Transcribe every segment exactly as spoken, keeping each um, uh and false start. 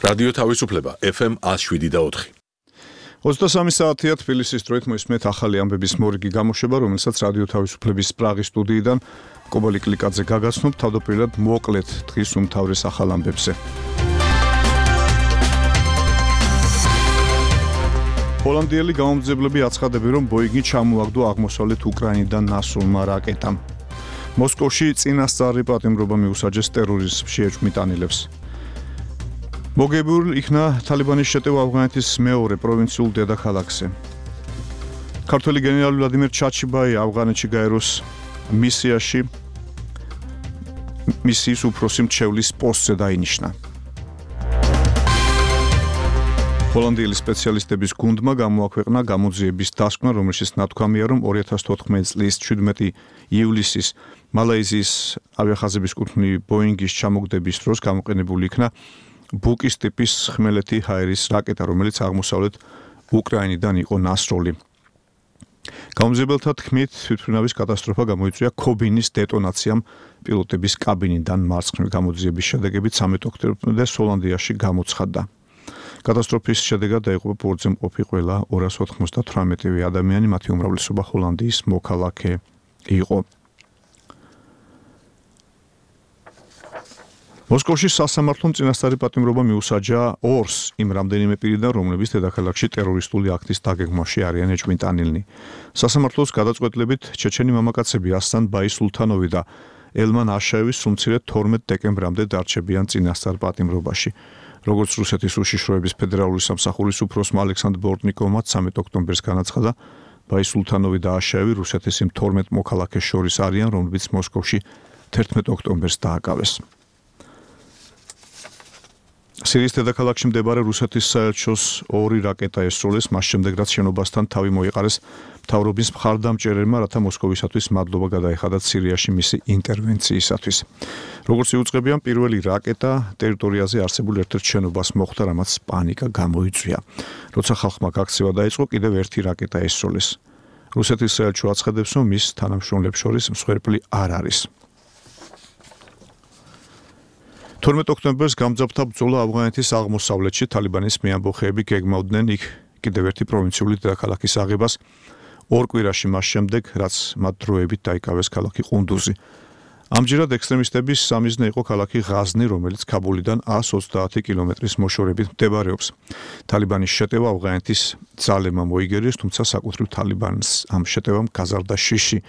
რადიო თავისუფლება ეფ ემ one oh seven და four. ოცდასამი საათია თბილისის დროით მოისმენთ ახალი ამბების მორიგი გამოშვება, რომელსაც რადიო თავისუფლების პრაღის სტუდიიდან კობალი კლიკაძე გაგაცნობ, თავდაპირველად მოკლედ დღის უმთავრეს ახალ ამბებზე. ჰოლანდიელი გამომძებლები აცხადებენ, რომ ბოინგი ჩამოაგდო აღმოსავლეთ უკრაინიდან ნასრულმა რაკეტამ. მოსკოვში წინასწარი პატიმრობა მიუსაჯეს ტერორიზმს შეეჭვმიტანილებს. მოგებულ იქნა თალიბანის შეტევა ავღანეთის მეორე პროვინციულ დედაქალაქზე. ქართველი გენერალი ვლადიმერ ჩაჩიბაი ავღანეთში გაეროს მისიაში მისიის უფროსი მრჩევლის პოსტზე დაინიშნა. ჰოლანდიელი სპეციალისტების გუნდმა გამოაქვეყნა გამოძიების დასკვნა, რომელშიც ნათქვამია, რომ ორი ათას თოთხმეტი წლის შვიდმეტი ივლისის მალაიზიის ავიახაზების კუთვნილი ბოინგის ჩამოგდების დროს გამოყენებული იქნა ბუკის ტიპის ხმელეთი ჰაერის რაკეტა, რომელიც აღმოსავლეთ უკრაინიდან იყო ნასროლი. გამომძებელთა თქმით, თვითმფრინავის კატასტროფა გამოიწვია ქობინის დეტონაციამ პილოტების კაბინიდან მარცხნივ. გამოძიების შედეგებით სამი ოქტომბერამდე ჰოლანდიაში გამოცხადდა. კატასტროფის შედეგად დაიღუპა ბორტზე მყოფი ყველა ორას ოთხმოცდათვრამეტი ადამიანი, მათი უმრავლესობა ჰოლანდიის მოქალაქე იყო. მოსკოვში სასამართლომ წინასწარი პატიმრობა მიუსაჯა ორს იმ რამდენიმე პირიდან, რომლებიც დედაქალაქში ტერორისტული აქტის დაგეგმვაში არიან ეჭვმიტანილნი. სასამართლოს გადაწყვეტილებით ჩეჩენი მამაკაცები ასთან ბაისულთანოვი და ელმან აშაევი სულ მცირე თორმეტ დეკემბრამდე დარჩებიან წინასწარ პატიმრობაში. როგორც რუსეთის უშიშროების ფედერალური სამსახურის უფროსმა ალექსანდრ ბორტნიკოვმა ცამეტ ოქტომბერს განაცხადა, ბაისულთანოვი და აშაევი რუსეთის იმ თორმეტ მოქალაქეს შორის არიან, რომლებიც მოსკოვში თერთმეტ ოქტომბერს დააკავეს. სირიის დედაქალაქში მდებარე რუსეთის საელჩოს ორი რაკეტა ესროლეს, მას შემდეგ რაც შენობასთან თავი მოიყარეს მთავრობის მხარდამჭერებმა, რათა მოსკოვისათვის მადლობა გადაეხადათ სირიაში მისი ინტერვენციისათვის. როგორც იუწყებიან, პირველი რაკეტა ტერიტორიაზე არსებულ ერთ-ერთ შენობას მოხვდა, რამაც პანიკა გამოიწვია. როცა ხალხმა გაქცევა დაიწყო, კიდევ ერთი რაკეტა ესროლეს. რუსეთის საელჩო აცხადებს, რომ მის თანამშრომლებს შორის მსხვერპლი არ არის. თორმეტ ოქტომბერს გამძაფრდა ბრძოლა ავღანეთის აღმოსავლეთში, თალიბანის მეამბოხეები გეგმავდნენ იქ კიდევ ერთი პროვინციული დედაქალაქის აღებას ორ კვირაში მას შემდეგ, რაც მათ დროებით დაიკავეს ქალაქი ყუნდუზი. ამჯერად ექსტრემისტების სამიზნე იყო ქალაქი ღაზნი, რომელიც ქაბულიდან εκατს ოცდაათი კილომეტრის მოშორებით მდებარეობს. თალიბანის შეტევა ავღანეთის ძალებმა მოიგერიეს, თუმცა საკუთრივ თალიბანს ამ შეტევამ გაზარდა შიში,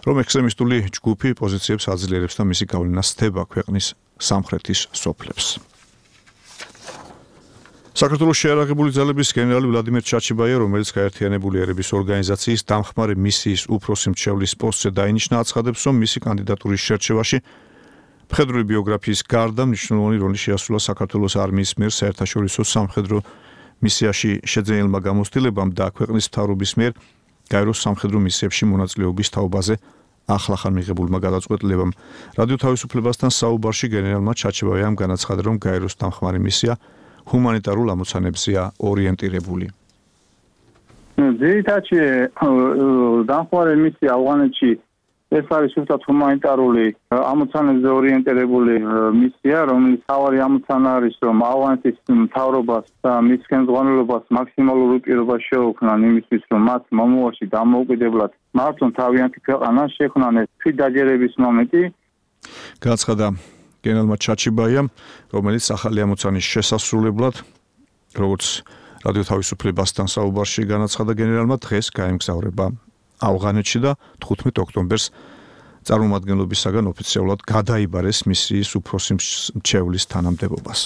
რომ ექსტრემისტული ჯგუფი პოზიციებს აძლიერებს და მისი გავლენა სთება ქვეყნის სამხრეთის სოფლებს. საქართველოს შეიარაღებული ძალების გენერალი ვლადიმერ ჩაჩიბაია, რომელიც გაერთიანებული ერების ორგანიზაციის დამხმარე მისიის უფროსი მრჩევლის პოსტზე დაინიშნა, აცხადებს, რომ მისი კანდიდატურის შერჩევაში მხედრული ბიოგრაფიის გარდა მნიშვნელოვანი როლი შეასრულა საქართველოს არმიის მიერ საერთაშორისო სამხედრო მისიაში შეძენილმა გამოცდილებამ და ქვეყნის მთავრობის მიერ გაეროს სამხედრო მისიებში მონაწილეობის თაობაზე ახლახან მიღებულმა გადაწყვეტილებამ. რადიო თავისუფლებასთან საუბარში გენერალმა ჩაჩიბაიამ განაცხადა, რომ გაეროს დამხმარე მისია ჰუმანიტარულ ამოცანებზეა ორიენტირებული. ძირითადად დამხმარე მისია ავღანეთში ეს არის უბრალოდ ჰუმანიტარული ამოცანებზე ორიენტირებული მისია, რომელიც თავარი ამოცანა არის, რომ ავღანეთის მთავრობას და მის ხელმძღვანელობას მაქსიმალური პირობა შეუქმნან იმისთვის, რომ მათ მომავალში დამოუკიდებლად მართონ თავიანთი ქვეყანა შექმნან ეს დაჯერების მომენტი. განაცხადა გენერალმა ჩაჩიბაიამ, რომელიც ახალი ამოცანის შესასრულებლად, როგორც რადიო თავისუფლებასთან საუბარში განაცხადა გენერალმა, დღეს გაემგზავრება ავღანეთში და თხუთმეტ ოქტომბერს წარმომადგენლობისაგან ოფიციალურად გადაიბარეს მისიის უფროსი მრჩევლის თანამდებობას.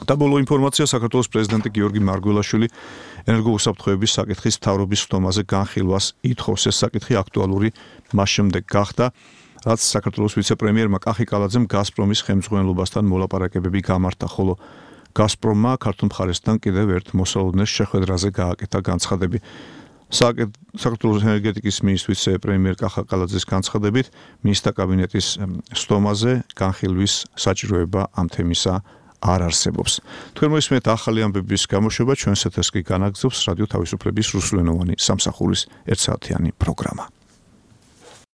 და ბოლო ინფორმაცია, საქართველოს პრეზიდენტი გიორგი მარგველაშვილი ენერგოუსაფრთხოების საკითხის მთავრობის ხდომაზე განხილვას ითხოვს. ეს საკითხი აქტუალური მას შემდეგ გახდა, რაც საქართველოს ვიცე-პრემიერმა კახი კალაძემ გაზპრომის ხელმძღვანელობასთან მოლაპარაკებები გამართა, ხოლო გაზპრომმა ქართულ მხარესთან კიდევ ერთ მოსალოდნელ შეხვედრაზე გააკეთა განცხადები. საქართველოს ენერგეტიკის მინისტრის ვიცე-პრემიერ კახა კალაძის განცხადებით, მინისტრთა კაბინეტის სტომაზე განხილვის საჭიროება ამ თემისა არ არსებობს. თქვენ მოისმენთ ახალი ამბების გამოშვება, ჩვენს ეთერს კი განაგრძობს რადიო თავისუფლების რუსულენოვანი სამსახურის ერთსაათიანი პროგრამა.